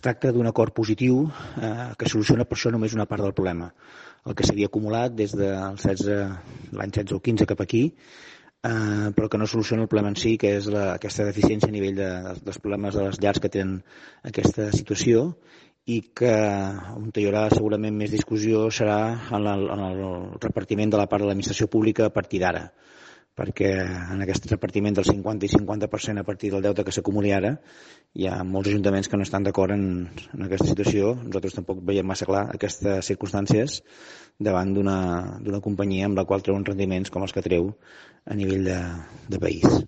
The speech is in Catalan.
tracta d'un acord positiu que soluciona per això només una part del problema. El que s'havia acumulat des del l'any 16 o 15 cap aquí, però que no soluciona el problema en si, que és aquesta deficiència a nivell dels problemes de les llars que tenen aquesta situació, i que on hi haurà segurament més discussió serà en el repartiment de la part de l'administració pública a partir d'ara, perquè en aquest repartiment del 50 i 50% a partir del deute que s'acumuli ara hi ha molts ajuntaments que no estan d'acord en aquesta situació. Nosaltres tampoc veiem massa clar aquestes circumstàncies davant d'una companyia amb la qual treuen rendiments com els que treu a nivell de país.